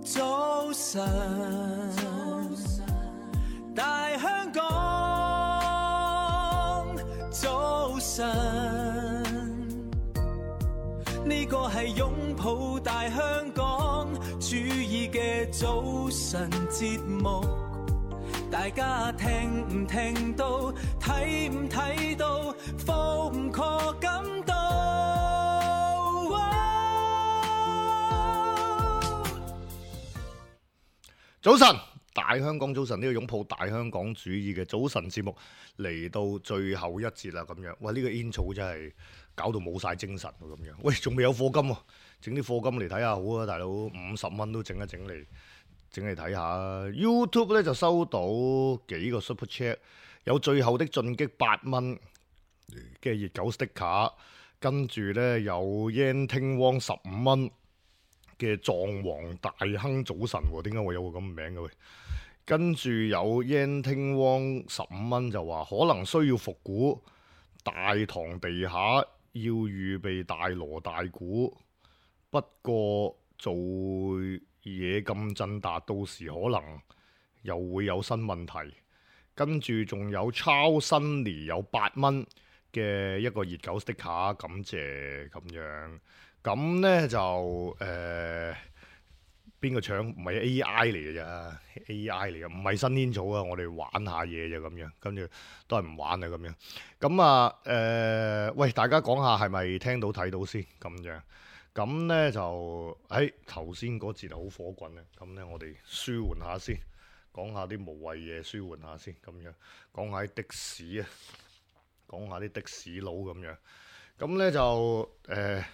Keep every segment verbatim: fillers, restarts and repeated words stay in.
早晨，大香港，早晨，呢個係擁抱大香港主意嘅早晨節目，大家聽唔聽到，睇唔睇到，放唔過感到。早晨，大香港早晨，呢個擁抱大香港主義嘅早晨節目嚟到最後一節啦，咁樣，喂，呢個 intro 真係搞到冇晒精神喎，咁樣，喂，仲未有課金喎，整啲課金嚟睇下好啊，大佬，五十蚊都整一整嚟，整嚟睇下。YouTube 咧就收到幾個 super chat， 有最後的進擊八蚊嘅熱狗 sticker， 跟住咧有 Yan 聽汪十五蚊。嘅藏王大亨早晨喎，點解會有個咁嘅名嘅喂？跟住有 Yan 聽汪十五蚊就話，可能需要復古，大堂地下要預備大鑼大鼓，不過做嘢咁震達，到時可能又會有新問題。跟住仲有 Charles Sunny 有八蚊嘅一個熱狗 sticker， 感謝咁樣。咁咧就誒邊個搶？唔係 A I 嚟嘅咋 ，A I 嚟嘅，唔係新煙草啊！我哋玩下嘢啫咁樣，跟住都係唔玩啊咁樣。咁啊誒，喂，大家講下係咪聽到睇到先咁樣？咁咧就喺頭先嗰節好火滾啊！咁咧我哋舒緩下先，講下啲無謂嘢，舒緩下先咁樣，講下啲的士啊，講下啲的士佬咁樣。咁咧就誒。呃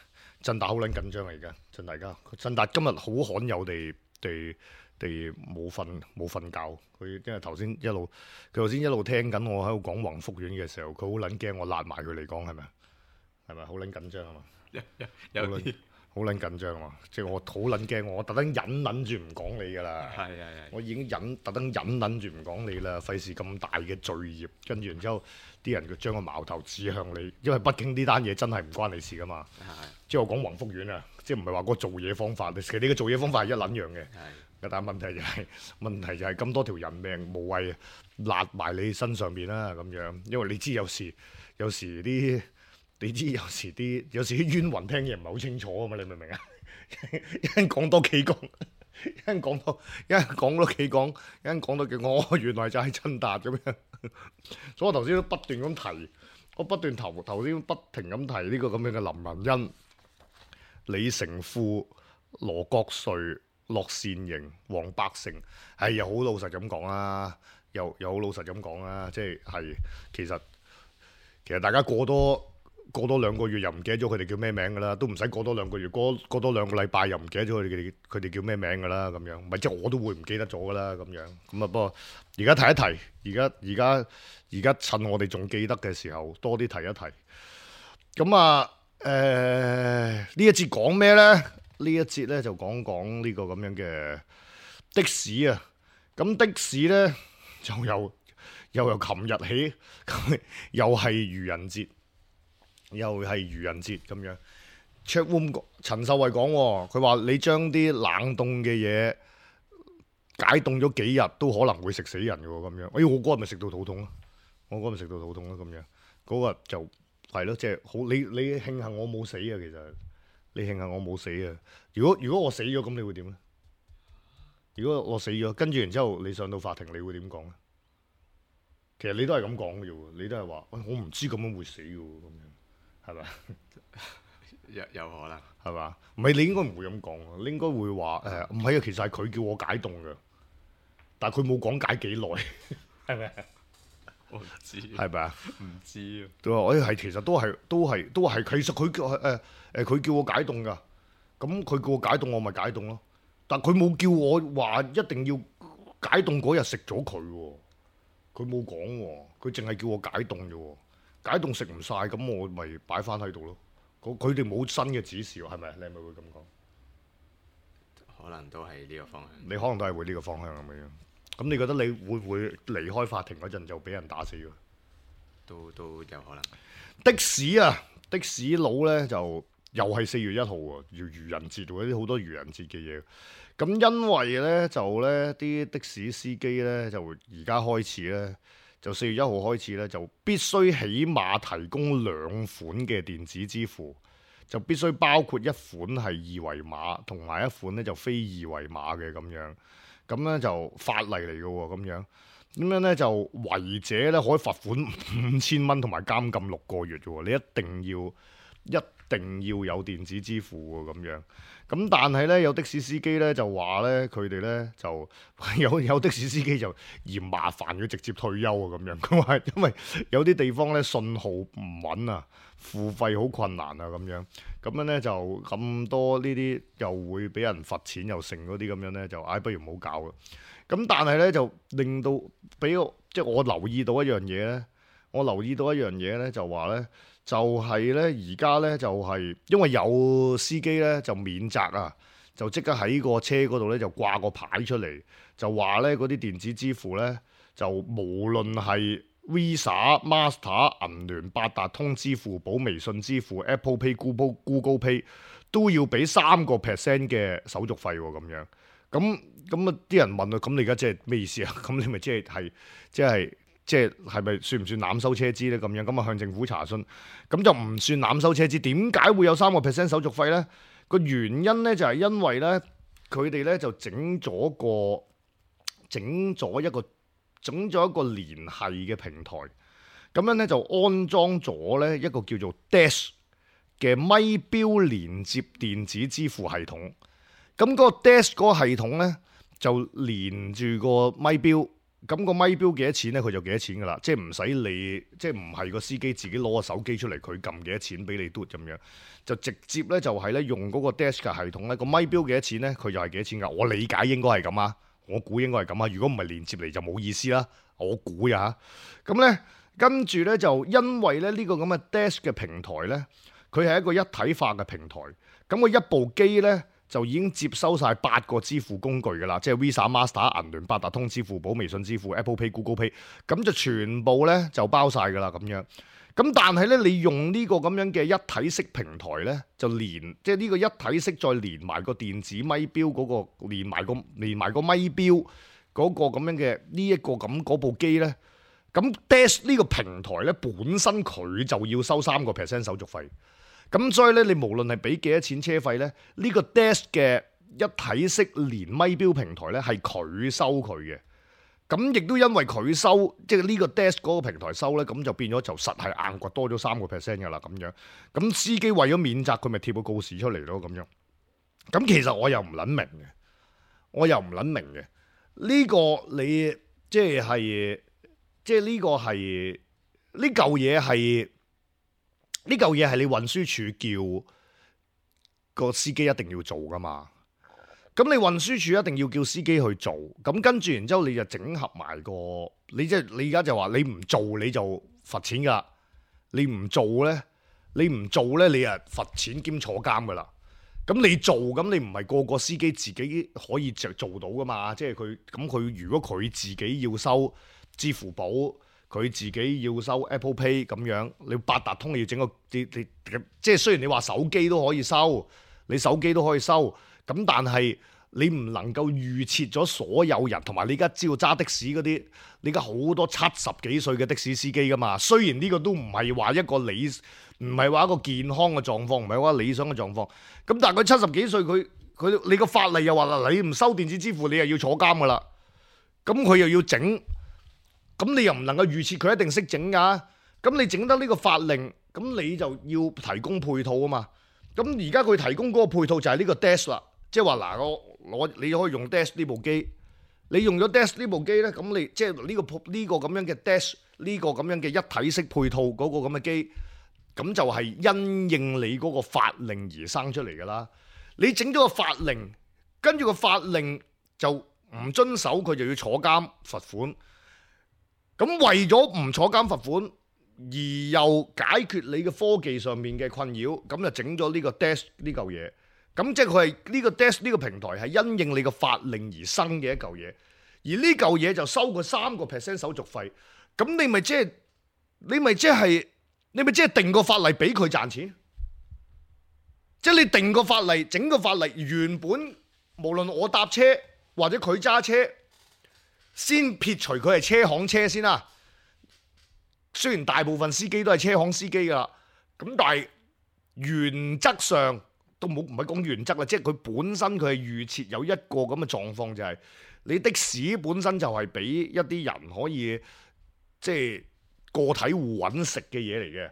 振達好撚緊張啊！而家振大家，振達今日好罕有地地地冇瞓冇瞓覺。佢因為頭先一路佢頭先一路聽緊我喺度講宏福苑嘅時候，佢好撚驚我辣埋佢嚟講係咪？係咪好撚緊張啊嘛？有有啲好撚緊張啊！即係我好撚驚，我特登忍撚住唔講你㗎啦。係係係。我已經忍特登忍撚住唔講你啦，費事咁大嘅罪孽，跟住然之後啲人佢將個矛頭指向你，因為畢竟呢單嘢真係唔關你事㗎嘛。係。即係我講宏福苑啊，即係唔係話個做嘢方法，其實你嘅做嘢方法係一撚樣嘅。係。但係問題就係、是、問題就係咁多條人命無謂揦埋你身上邊啦咁樣，因為你知有時有時啲。你知有時啲有時啲冤魂聽嘢唔係好清楚啊嘛，你明唔明啊？一陣講多幾講，一陣講多，一陣講多幾講，一陣講多幾講，我、哦、原來就係振達咁樣。所以我頭先都不斷咁提，我不斷頭頭先不停咁提呢個咁樣嘅林文欣、李成富、羅國瑞、樂善盈、黃百成，係又好老實咁講啦，又又好老實咁講啦，即係係其實其實大家過多。過多兩個月又唔記得咗佢哋叫咩名㗎啦，都唔使過多兩個月，過過多兩個禮拜又唔記得咗佢哋佢哋叫咩名㗎啦，咁樣，唔係即係我都會唔記得咗㗎啦，咁樣，咁啊不過而家提一提，而家而家而家趁我哋仲記得嘅時候，多啲提一提。咁啊誒呢一節講咩咧？呢一節咧就講講呢個咁樣嘅的士啊，咁的士咧就由又由琴日起，又係愚人節。又係愚人節咁樣 ，Chatroom 陳秀慧講，佢話你將啲冷凍嘅嘢解凍咗幾日，都可能會食死人嘅喎，咁樣。哎，我嗰日咪食到肚痛咯，我嗰日咪食到肚痛咯，咁樣。嗰日就係咯，即係好你你慶幸我冇死啊，其實你慶幸我冇死啊。如果如果我死咗，咁你會點咧？如果我死咗，跟住然之後你上到法庭，你會點講咧？其實你都係咁講嘅喎，你都係話，喂，我唔知咁樣會死嘅喎，咁樣。係咪？有有可能係嘛？唔係你應該唔會咁講，你應該會話誒唔係啊，其實係佢叫我解凍嘅，但係佢冇講解幾耐，係咪？我唔知係咪啊？唔知啊。對啊，誒係其實都係都係都係，其實佢叫誒誒佢叫我解凍㗎，咁佢叫我解凍，我咪解凍咯。但係佢冇叫我話一定要解凍嗰日食咗佢喎，佢冇講喎，佢淨係叫我解凍啫喎。解凍食唔晒，咁我咪擺翻喺度咯。佢哋冇新嘅指示喎，係咪？你係咪會咁講？可能都係呢個方向。你可能都係會呢個方向咁樣。咁你覺得你會唔會離開法庭嗰陣就俾人打死㗎？都都有可能。的士啊，的士佬咧就又係四月一號喎，要愚人節喎，啲好多愚人節嘅嘢。咁因為咧就咧啲的士司機咧就而家開始咧，就四月一號開始咧就必須起碼提供兩款嘅電子支付，就必須包括一款係二維碼，同埋一款咧就非二維碼嘅咁樣。咁咧就法例嚟嘅喎，咁樣咁樣咧就違者咧可以罰款五千蚊同埋監禁六個月嘅喎，你一定要一定要有電子支付喎，咁樣。咁但係咧有的士司機咧就話咧佢哋咧就有有的士司機就嫌麻煩，佢直接退休啊咁樣。佢話因為有啲地方咧信號唔穩啊，付費好困難啊咁樣。咁樣咧就咁多呢啲又會俾人罰錢又剩嗰啲咁樣咧就唉、哎、不如唔好搞啦。咁但係咧就令到俾我即係我留意到一樣嘢咧，我留意到一樣嘢咧就話咧。就係咧，而家咧就係因為有司機咧就免責啊，就即刻喺個車嗰度咧就掛個牌出嚟，就話咧嗰啲電子支付咧就無論係 Visa、Master、銀聯、八達通、支付寶、微信支付、Apple Pay、Google Google Pay 都要俾三個 percent 嘅手續費喎，咁樣。咁咁啊啲人問啊，咁你而家即係咩意思啊？咁你咪即係係即係。即係係咪算唔算濫收車資咧？咁樣咁啊向政府查詢，咁就唔算濫收車資。點解會有三個 percent 手續費咧？個原因咧就係因為咧佢哋咧就整咗個整咗一個整咗一個聯繫嘅平台，咁樣咧就安裝咗咧一個叫做 Dash 嘅咪錶連接電子支付系統。咁嗰個 Dash 嗰個系統咧就連住個咪錶。咁個咪錶幾多錢咧？佢就幾多錢噶啦，即係唔使你，即係唔係個司機自己攞個手機出嚟，佢撳幾多錢俾你嘟咁樣，就直接咧就係咧用嗰個 Dash 嘅系統咧，個咪錶幾多錢咧？佢就係幾多錢噶。我理解應該係咁啊，我估應該係咁啊。如果唔係連接嚟就冇意思啦，我估呀。咁咧跟住咧就因為咧呢個咁嘅 Dash 嘅平台咧，佢係一個一體化嘅平台，咁個一部機咧。就已經接收晒八個支付工具㗎啦，即係 Visa、Master、銀聯、八達通、支付寶、微信支付、Apple Pay、Google Pay， 咁就全部咧就包晒㗎啦咁樣。咁但係咧，你用呢個咁樣嘅一體式平台咧，就連即係呢個一體式再連埋個電子咪錶嗰、嗰個，連埋個連埋個咪錶嗰個咁樣嘅呢一個咁嗰部機咧，咁 Dash 呢個平台咧本身佢就要收三個 percent 手續費。咁所以咧，你無論係俾幾多錢車費咧，呢個 Dash 嘅一體式連咪錶平台咧係佢收佢嘅。咁亦都因為佢收，即係呢個 Dash 嗰個平台收咧，咁就變咗就實係硬掘多咗三個 percent 㗎啦咁樣。咁司機為咗免責，佢咪貼個告示出嚟咯咁樣。咁其實我又唔撚明嘅，我又唔撚明嘅。呢個你即係即係呢個係呢嚿嘢係。呢嚿嘢係你運輸署叫個司機一定要做噶嘛？咁你運輸署一定要叫司機去做，咁跟住然之後你就整合埋個，你即係你而家就話你唔做你就罰錢噶，你唔做咧，你唔做咧你啊罰錢兼坐監噶啦。咁你做咁你唔係個個司機自己可以就做到噶嘛？即係佢咁佢如果佢自己要收支付寶。佢自己要收 Apple Pay 咁樣，你八達通你要整個，你你即係雖然你話手機都可以收，你手機都可以收，咁但係你唔能夠預設咗所有人，同埋你而家知道揸的士嗰啲，你而家好多七十幾歲嘅的，的士司機噶嘛。雖然呢個都唔係話一個理，唔係話一個健康嘅狀況，唔係話理想嘅狀況。咁但係佢七十幾歲，佢佢你個法例又話啦，你唔收電子支付，你又要坐監噶啦。咁佢又要整。咁你又唔能夠預設佢一定識整㗎，咁你整得呢個法令，咁你就要提供配套啊嘛。咁而家佢提供嗰個配套就係呢個 Dash 啦，即係話嗱，我攞你可以用 Dash 呢部機，你用咗 Dash 呢部機咧，咁你即係呢個呢個咁樣嘅 Dash 呢個咁樣嘅一體式配套嗰個咁嘅機，咁就係因應你嗰個法令而生出嚟㗎啦。你整咗個法令，跟住個法令就唔遵守，佢就要坐監罰款。咁為咗唔坐監罰款，而又解決你嘅科技上面嘅困擾，咁就整咗呢個 Dash 呢嚿嘢。咁即係佢係呢個 Dash 呢個平台係因應你個法令而生嘅一嚿嘢，而呢嚿嘢就收佢三個 percent 手續費。咁你咪即係你咪即係你咪即係定個法例俾佢賺錢？即係你定個法例，整個法例原本無論我搭車或者佢揸車，先撇除佢係車行車先啦。雖然大部分司機都係車行司機噶，咁但係原則上都冇，唔係講原則啦，即係佢本身佢係預設有一個咁嘅狀況，就係你的士本身就係俾一啲人可以即係個體戶揾食嘅嘢嚟嘅。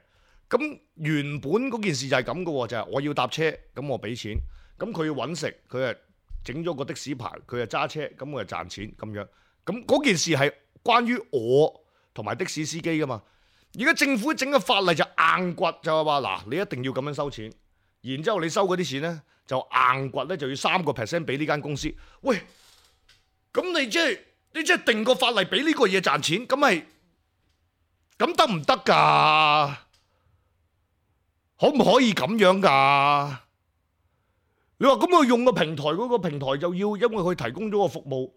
咁原本嗰件事就係咁嘅喎，就係我要搭車，咁我俾錢，咁佢要揾食，佢係整咗個的士牌，佢係揸車，咁我就賺錢咁樣。咁嗰件事係關於我同埋的士司機噶嘛。而家政府整個法例就硬掘，就係話嗱，你一定要咁樣收錢，然之後你收嗰啲錢咧就硬掘咧，就要三個 percent 俾呢間公司。喂，咁你即係你即係定個法例俾呢個嘢賺錢，咁係咁得唔得㗎？可唔可以咁樣㗎？你話咁我用個平台，嗰個平台就要因為佢提供咗個服務。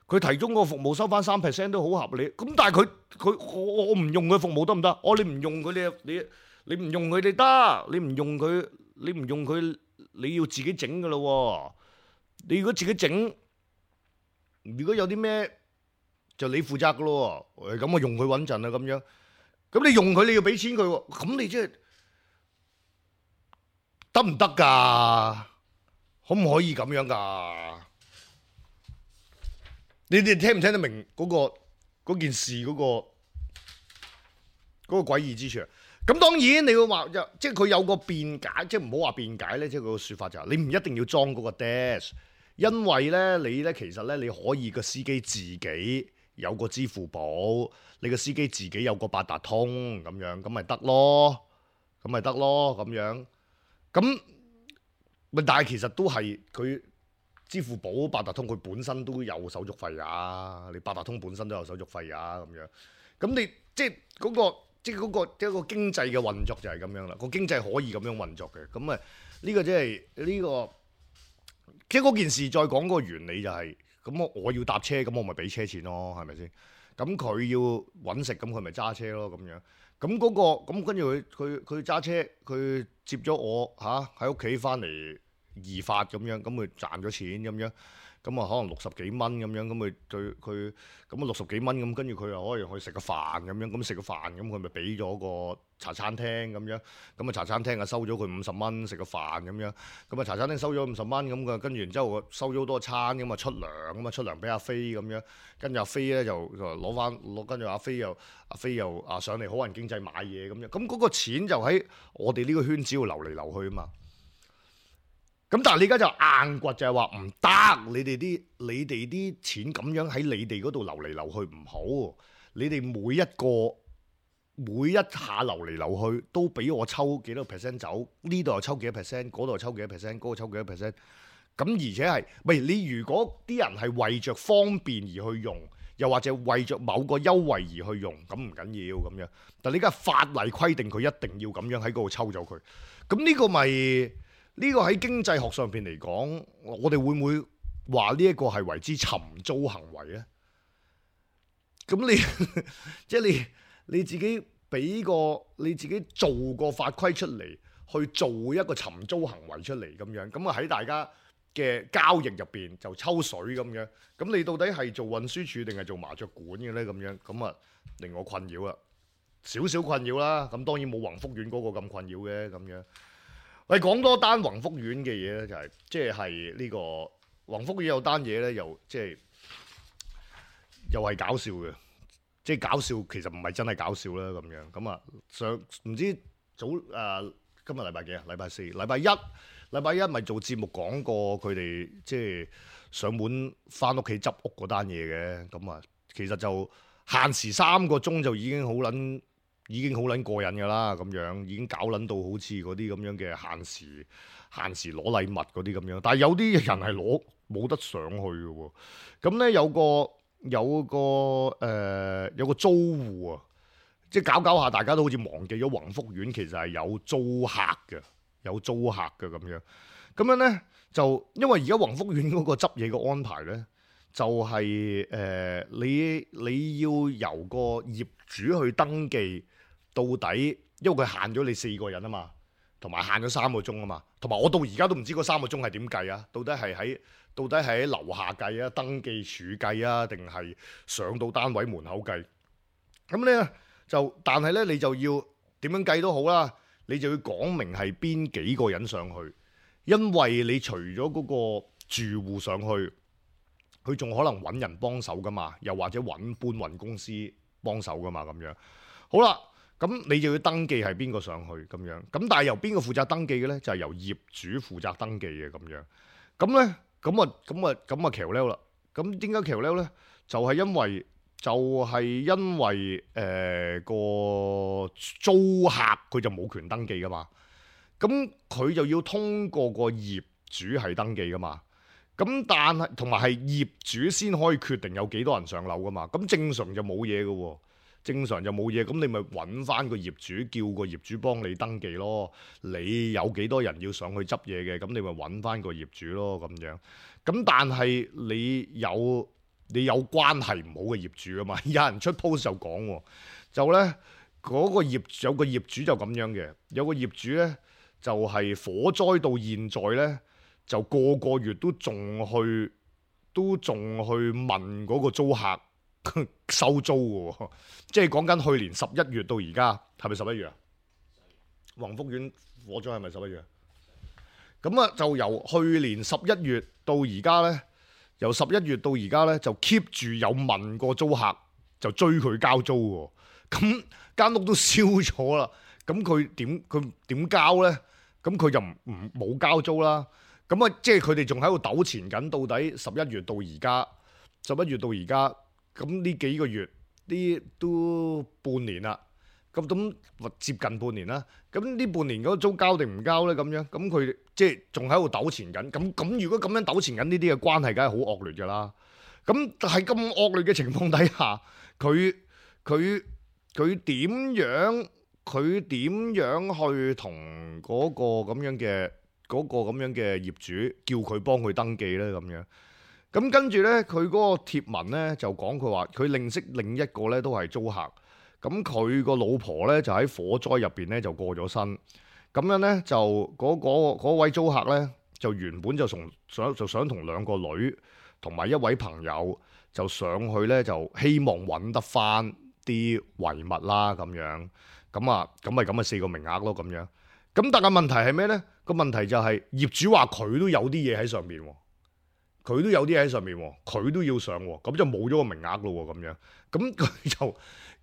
佢提供個服務收翻三 percent 都好合理，咁但係佢佢我我唔用佢服務得唔得？我你唔用佢你你你唔用佢哋得，你唔用佢你唔用佢你要自己整噶咯。你如果自己整，如果有啲咩就你負責噶咯。咁我用佢穩陣啊咁樣，咁你用佢你要俾錢佢，咁你即係得唔得㗎？可唔可以咁樣㗎？你哋聽唔聽得明嗰、嗰個嗰件事嗰、嗰個嗰、嗰個詭異之處？咁當然你會話，即係佢有個辯解，即係唔好話辯解咧，即係佢個説法就係、是、你唔一定要裝嗰個 Dash， 因為咧你咧其實咧你可以個司機自己有個支付寶，你個司機自己有個八達通咁樣，咁咪得咯，咁咪得咯咁樣，咁咪但係其實都係佢。支付寶、八達通佢本身都有手續費啊，你八達通本身都有手續費啊，咁樣，咁你即係嗰個即係嗰個一個經濟嘅運作就係咁樣啦，個經濟可以咁樣運作嘅，咁啊呢個即係呢個即係嗰件事再講個原理就係，咁我我要搭車，咁我咪俾車錢咯，係咪先？咁佢要揾食，咁佢咪揸車咯，咁樣，咁嗰個咁跟住佢佢佢揸車，佢接咗我嚇喺屋企翻嚟。移發咁樣，咁佢賺咗錢咁樣，咁啊可能六十幾蚊咁樣，咁佢對佢咁啊六十幾蚊咁，跟住佢又可以去食個飯咁樣，咁食個飯咁佢咪俾咗個茶餐廳咁樣，咁啊茶餐廳啊收咗佢五十蚊食個飯咁樣，咁啊茶餐廳收咗五十蚊咁嘅，跟住然之後收咗好多餐咁啊出糧咁啊出糧俾阿飛咁樣，跟住阿飛咧就就攞翻攞，跟住阿飛又阿飛又啊上嚟好人經濟買嘢咁樣，咁嗰個錢就喺我哋呢個圈子度流嚟流去啊嘛。咁但係你而家就硬掘，就係話唔得，你哋啲你哋啲錢咁樣喺你哋嗰度流嚟流去唔好，你哋每一個每一下流嚟流去都俾我抽幾多 percent 走，呢度又抽幾多 percent， 嗰度又抽幾多 percent， 嗰度抽幾多 percent， 咁而且係，喂你如果啲人係為着方便而去用，又或者為着某個優惠而去用，咁唔緊要咁樣，但係你而家法例規定佢一定要咁樣喺嗰度抽走佢，咁呢個咪？呢個喺經濟學上邊嚟講，我哋會唔會話呢一個係為之尋租行為咧？咁你即係你你自己俾個你自己做個法規出嚟，去做一個尋租行為出嚟咁樣，咁啊喺大家嘅交易入邊就抽水咁樣。咁你到底係做運輸署定係做麻雀館嘅咧？咁樣咁啊令我困擾啦，少少困擾啦。咁當然冇宏福苑嗰個咁困擾嘅咁樣。你講多單宏福苑嘅嘢咧，就係即係呢個宏福苑有單嘢咧，又即係又係搞笑嘅，即係搞笑其實唔係真係搞笑啦咁樣。咁啊上唔知早誒、呃、今日禮拜幾啊？禮拜四、禮拜一、禮拜一咪做節目講過佢哋即係上門翻屋企執屋嗰單嘢嘅。咁啊其實就限時三個鐘就已經好撚。已經好撚過癮㗎啦，咁樣已經搞撚到好似嗰啲咁樣嘅限時限時攞禮物嗰啲咁樣，但係有啲人係攞冇得上去嘅喎。咁咧有個有個誒、呃、有個租戶啊，即係搞搞下，大家都好似忘記咗宏福苑其實係有租客嘅，有租客嘅咁樣。咁樣咧就因為而家宏福苑嗰個執嘢嘅安排咧，就係、是、誒、呃、你你要由個業主去登記。到底，因為佢限咗你四個人啊嘛，同埋限咗三個鐘啊嘛，同埋我到而家都唔知嗰三個鐘係點計啊？到底係喺到底係喺樓下計啊、登記處計啊，定係上到單位門口計？咁咧就，但係咧你就要點樣計都好啦，你就要講明係邊幾個人上去，因為你除咗嗰個住戶上去，佢仲可能揾人幫手噶嘛，又或者揾搬運公司幫手噶嘛咁樣。好啦。咁你就要登記係邊個上去咁樣，咁但係由邊個負責登記嘅咧？就係、是、由業主負責登記嘅咁樣。咁咧，咁啊，咁啊，咁啊，橋溜啦。咁點解橋溜咧？就係、是、因為，就係、是、因為誒、呃、個租客佢就冇權登記噶嘛。咁佢就要通過個業主係登記噶嘛。咁但係同埋係業主先可以決定有幾多人上樓噶嘛。咁正常就冇嘢噶喎。正常就冇嘢，咁你咪揾翻個業主，叫個業主幫你登記咯。你有幾多人要上去執嘢嘅，咁你咪揾翻個業主咯咁樣。咁但係你有你有關係唔好嘅業主啊嘛，有人出 post 就講喎，就呢嗰、嗰個業有個業主就咁樣嘅，有個業主呢，就係、係、火災到現在呢，就個個月都仲去都仲去問嗰個租客收租嘅喎，即係講緊去年十一月到而家，係咪十一月啊？宏福苑火災係咪十一月啊？咁啊，就由去年十一月到而家呢，由十一月到而家呢，就 keep 住有問過租客，就追佢交租喎。咁間屋都燒咗啦，咁佢點佢點交呢？咁佢就唔唔冇交租啦。咁啊，即係佢哋仲喺度糾纏緊，到底十一月到而家，十一月到而家。咁呢幾個月，呢都半年啦，咁咁接近半年啦。咁呢半年嗰個租交定唔交呢？咁樣，咁佢即係仲喺度糾纏緊。咁咁如果咁樣糾纏緊呢啲嘅關係，梗係好惡劣㗎啦。咁喺咁惡劣嘅情況底下，佢佢佢點樣佢點樣去同嗰個咁樣嘅嗰個咁樣嘅業主叫佢幫佢登記呢？咁樣。咁跟住呢，佢嗰個貼文呢就講佢話，佢認識另一個呢都係租客，咁佢個老婆呢就喺火災入邊呢就過咗身，咁樣呢，就嗰、嗰個、位租客呢，就原本就從想就想同兩個女同埋一位朋友就上去呢，就希望揾得翻啲遺物啦咁樣，咁啊咁咪咁咪四個名額咯咁樣，咁但係問題係咩呢？個問題就係業主話佢都有啲嘢喺上面喎。佢都有啲喺上面喎，佢都要上喎，咁就冇咗個名額咯喎，咁樣，咁佢就，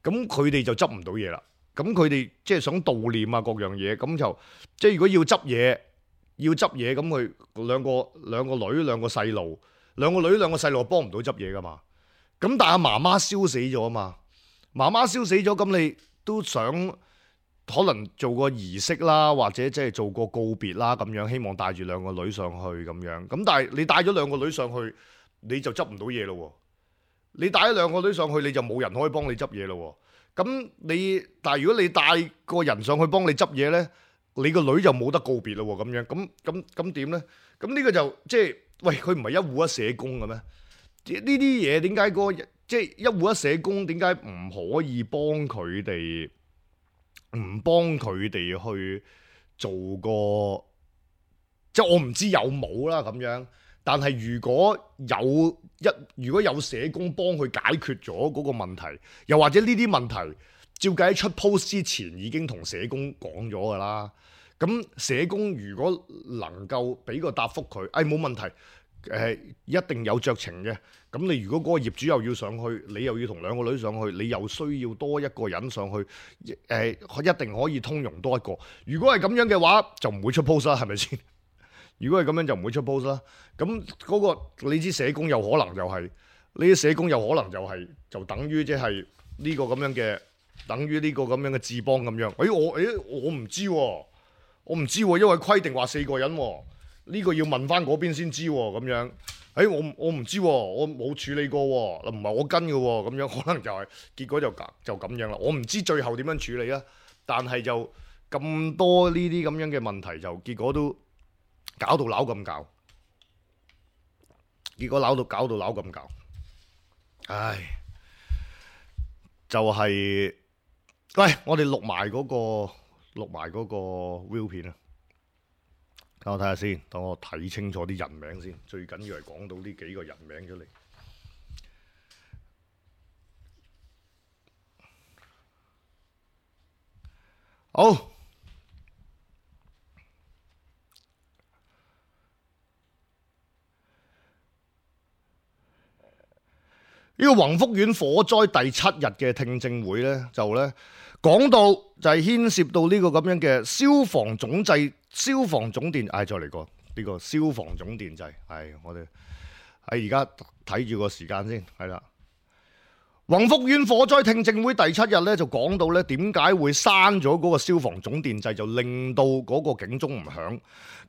咁佢哋就執唔到嘢啦。咁佢哋即係想悼念啊各樣嘢，咁就即係如果要執嘢，要執嘢，咁佢兩個兩個女兩個細路，兩個女兩個細路幫唔到執嘢噶嘛。咁但係媽媽燒死咗啊嘛，媽媽燒死咗，咁你都想可能做個儀式啦，或者即係做個告別啦咁樣，希望帶住兩個女上去咁樣。咁但係你帶咗兩個女上去，你就執唔到嘢咯。你帶咗兩個女上去，你就冇人可以幫你執嘢咯。咁你但係如果你帶個人上去幫你執嘢呢，你個女就冇得告別咯。咁樣咁咁咁點呢？咁呢個就即係喂，佢唔係一戶一社工嘅咩？呢啲嘢點解個即係一戶一社工點解唔可以幫佢哋？唔幫佢哋去做個，即係我唔知有冇啦咁樣。但係如果有一如果有社工幫佢解決咗嗰個問題，又或者呢啲問題，照計喺出 post 之前已經同社工講咗㗎啦。咁社工如果能夠俾個答覆佢，誒、哎、冇問題，誒、呃、一定有酌情嘅。咁你如果嗰個業主又要上去，你又要同兩個女上去，你又需要多一個人上去，誒、呃、一定可以通融多一個。如果係咁樣嘅話，就唔會出 post 啦，係咪先？如果係咁樣就唔會出 post 啦。咁嗰個你知社工有可能就係呢啲社工有可能就係、是、就等於即係呢個咁樣嘅，等於呢個咁樣嘅智邦咁樣。誒、哎、我誒、哎、我唔知喎、啊，我唔知喎、啊，因為規定話四個人喎、啊，呢、這個要問翻嗰邊先知喎、啊，咁樣。誒、哎、我我唔知喎，我冇處理過喎，唔係我跟嘅喎，咁樣可能就係、是、結果就就咁樣啦。我唔知最後點樣處理啦，但係就咁多呢啲咁樣嘅問題，就結果都搞到扭咁搞，結果扭到搞到扭咁搞，唉，就係、是，喂，我哋錄埋嗰個錄埋嗰個 view 片啊！等我睇下先，等我睇清楚啲人名先。最緊要係講到呢幾個人名出嚟。好。呢個宏福苑火災第七日嘅聽證會呢，就呢講到就係牽涉到呢個咁樣嘅消防總掣、消防總電，唉、哎，再嚟過呢個消防總電掣，係、哎、我哋喺而家睇住個時間先，係啦。宏福苑火災聽證會第七日呢，就講到呢點解會閂咗嗰個消防總電掣，就令到嗰個警鐘唔響，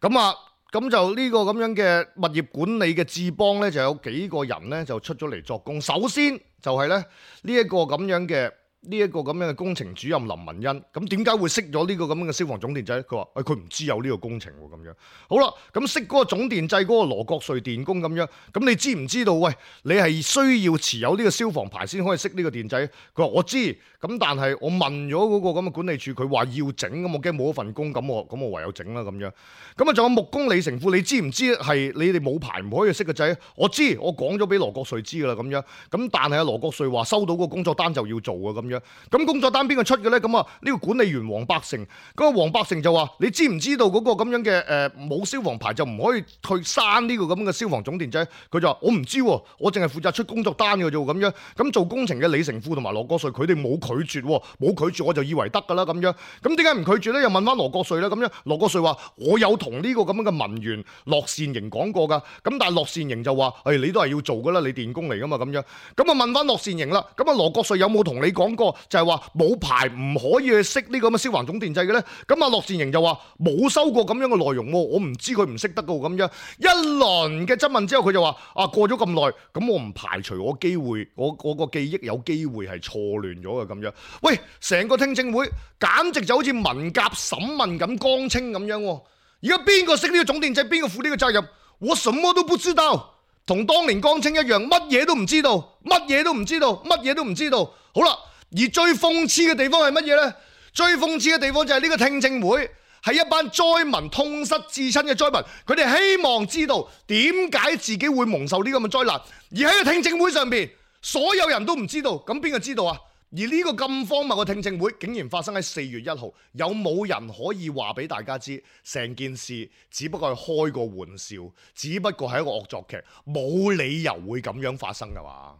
咁啊。咁就呢個咁樣嘅物業管理嘅智邦呢，就有幾個人呢就出咗嚟作供。首先就係咧呢一個咁樣嘅呢一個咁樣嘅工程主任林文欣。咁點解會熄咗呢個咁樣嘅消防總電掣？佢話誒佢唔知有呢個工程喎咁樣。好啦，咁熄嗰個總電掣嗰個羅國瑞電工咁樣，咁你知唔知道？喂，你係需要持有呢個消防牌先可以熄呢個電掣？佢話我知，咁但係我問咗嗰個咁嘅管理處，佢話要整，咁我驚冇一份工，咁我咁我唯有整啦咁樣。咁啊，仲有木工李成富，你知唔知係你哋冇牌唔可以熄個掣？我知，我講咗俾羅國瑞知噶啦咁樣。咁但係阿羅國瑞話收到個工作單就要做啊咁樣。咁工作單邊個出嘅咧？咁啊呢個管理員黃百成，嗰個黃百成就話：你知唔知道嗰個咁樣嘅誒冇消防牌就唔可以去閂呢個咁嘅消防總電掣？佢就話：我唔知喎，我淨係負責出工作單嘅啫咁樣。咁做工程嘅李成富同埋羅國瑞，佢哋冇拒絕喎，冇拒絕我就以為得㗎啦咁樣。咁點解唔拒絕咧？又問翻羅國瑞咧咁樣。羅國瑞話：我有同呢個咁樣嘅文員樂善營講過㗎。咁但係樂善營就話：誒、哎、你都係要做㗎啦，你電工嚟㗎嘛咁樣。咁啊問翻樂善營啦。咁啊羅國瑞有冇同你講過？就係話冇牌唔可以去熄呢個咁嘅消防總電掣嘅咧，咁啊樂善營就話冇收過咁樣嘅內容喎，我唔知佢唔識得噶咁樣。一輪嘅質問之後，佢就話啊過咗咁耐，咁我唔排除我機會，我我個記憶有機會係錯亂咗嘅咁樣。喂，成個聽證會簡直就好似文革審問咁江青咁樣。而家邊個熄呢個總電掣，邊個負呢個責任？我什麼都不知道，同當年江青一樣，乜嘢都唔知道，乜嘢都唔知道，乜嘢都唔知道。好啦。而最諷刺嘅地方係乜嘢呢？最諷刺嘅地方就係呢個聽證會係一班災民痛失至親嘅災民，佢哋希望知道點解自己會蒙受呢咁嘅災難，而喺個聽證會上邊，所有人都唔知道，咁邊個知道啊？而呢個咁荒謬嘅聽證會竟然發生喺四月一號，有冇人可以話俾大家知，成件事只不過係開個玩笑，只不過係一個惡作劇，冇理由會咁樣發生㗎嘛？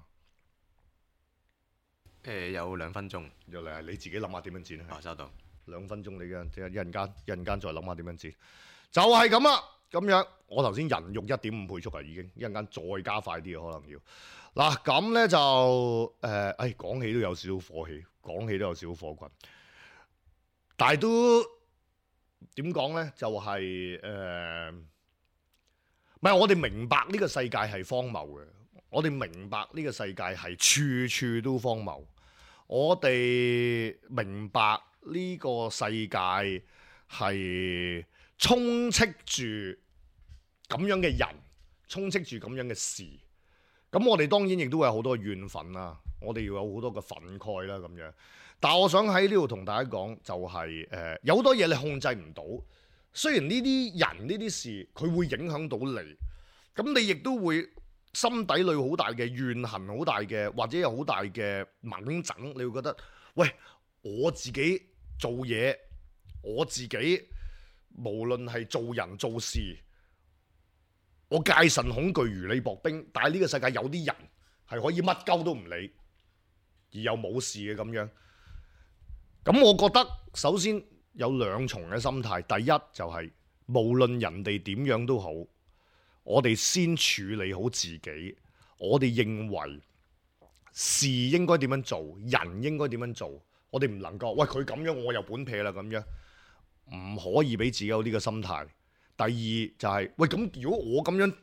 誒、呃、有兩分鐘，又嚟你自己諗下點樣剪啊？哦，收到。兩分鐘你嘅，即係一陣間，一陣間再諗下點樣剪，就係咁啦。咁樣我頭先人肉一點五倍速啊，已經一陣間再加快啲可能要。嗱咁咧就誒，誒、呃、講起都有少少火氣，講起都有少少火滾，但係都點講咧？就係、是、誒，唔、呃、係我哋明白呢個世界係荒謬嘅。我哋明白呢個世界係處處都荒謬，我哋明白呢個世界係充斥住咁樣嘅人，充斥住咁樣嘅事。咁我哋當然亦都有好多怨憤啦，我哋要有好多嘅憤慨啦咁樣。但係我想喺呢度同大家講，就係、是、誒、呃、有好多嘢你控制唔到。雖然呢啲人呢啲事佢會影響到你，咁你亦都會心底裏好大嘅怨恨，好大嘅或者有好大嘅猛整，你會覺得喂，我自己做嘢，我自己無論係做人做事，我戒慎恐懼如履薄冰。但係呢個世界有啲人係可以乜鳩都唔理，而又冇事嘅咁樣。咁我覺得首先有兩重嘅心態，第一就係、是、無論人哋點樣都好，我哋先處理好自己。我哋認為事應該點樣做，人應該點樣做，我哋唔能夠喂佢咁樣，我又本撇啦咁樣，唔可以俾自己有呢個心態。第二就係、是、喂咁，如果我咁樣，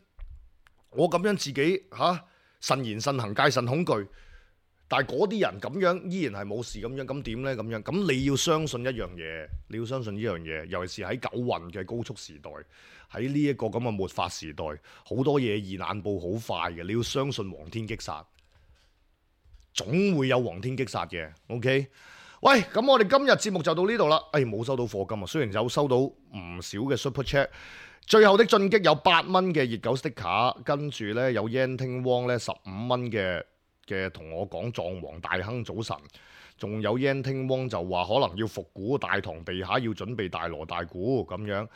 我咁樣自己嚇、啊、慎言慎行，戒慎恐懼，但係嗰啲人咁樣依然係冇事咁樣，咁點呢？咁樣咁你要相信一樣嘢，你要相信呢樣嘢，尤其是喺九運嘅高速時代，喺呢一個咁嘅末法時代，好多嘢現眼報好快嘅，你要相信皇天擊殺，總會有皇天擊殺嘅。OK， 喂，咁我哋今日節目就到呢度啦。誒、哎，冇收到課金啊，雖然有收到唔少嘅 Super Chat。最後的進擊有八蚊嘅熱狗 sticker， 跟住呢，有 Yan Ting Wong 呢十五蚊嘅嘅同我講狀王大亨早晨，仲有 Yan Ting Wong 就話可能要復古大堂地下要準備大鑼大鼓咁樣，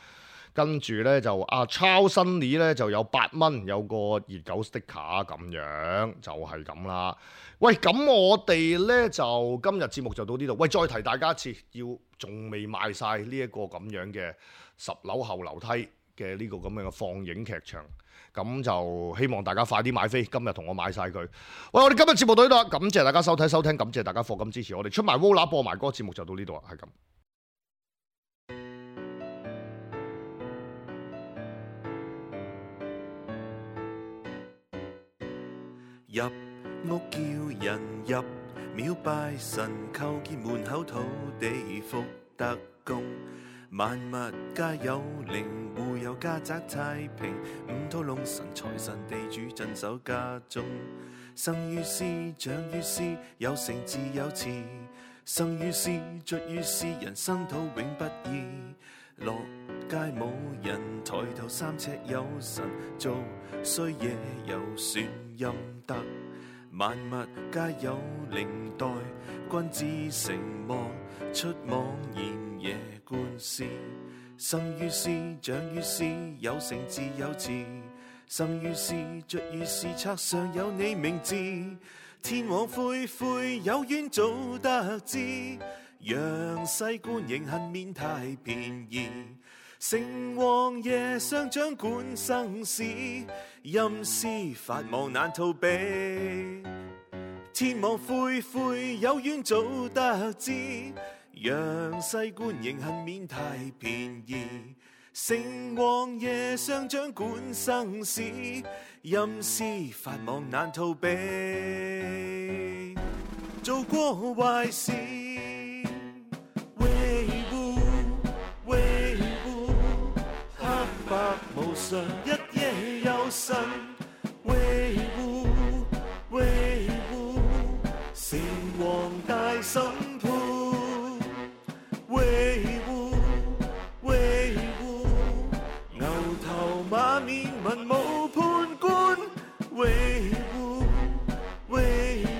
跟住呢，就阿 Charles Sunny 呢就有八蚊有個熱狗 sticker 咁樣，就係咁啦。喂，咁我哋呢，就今日節目就到呢度。喂，再提大家一次，要仲未賣晒呢一個咁樣嘅十樓後樓梯嘅呢個咁樣嘅放映劇場，咁就希望大家快啲買飛，今日同我買晒佢。喂，我哋今日節目到呢度啦，感謝大家收睇收聽，感謝大家課金支持我哋，出埋 Vola 播埋歌，節目就到呢度啦，係咁。入屋叫人入廟拜神，叩見門口土地福德公，萬物皆有靈，戶有家宅太平，五土龍神財神地主鎮守家中，生於斯長於斯，有成自有次，生於斯卒於斯，人生土永不易，落街冇人，抬頭三尺有神，做衰嘢有算陰德，萬物皆有靈，待君子成魔，出妄言夜觀思，生於斯長於斯，有成自有次，生於斯卒於斯，冊上有你名字，天網恢恢，有冤早得知，陽世官刑恨免太便宜，城隍爺上掌管生死，陰司法網難逃避，天網恢恢，有冤早得知，陽世官刑恨免太便宜，城隍爺上掌管生死，陰司法網難逃避，做過壞事無常一夜有神維護維護，城隍大審判維護維護，牛頭馬面文武判官維護維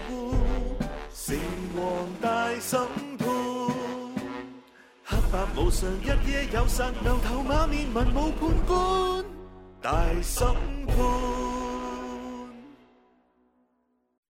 護，城隍大審判。黑白無常，一夜有神，牛頭馬面文武判官大審判。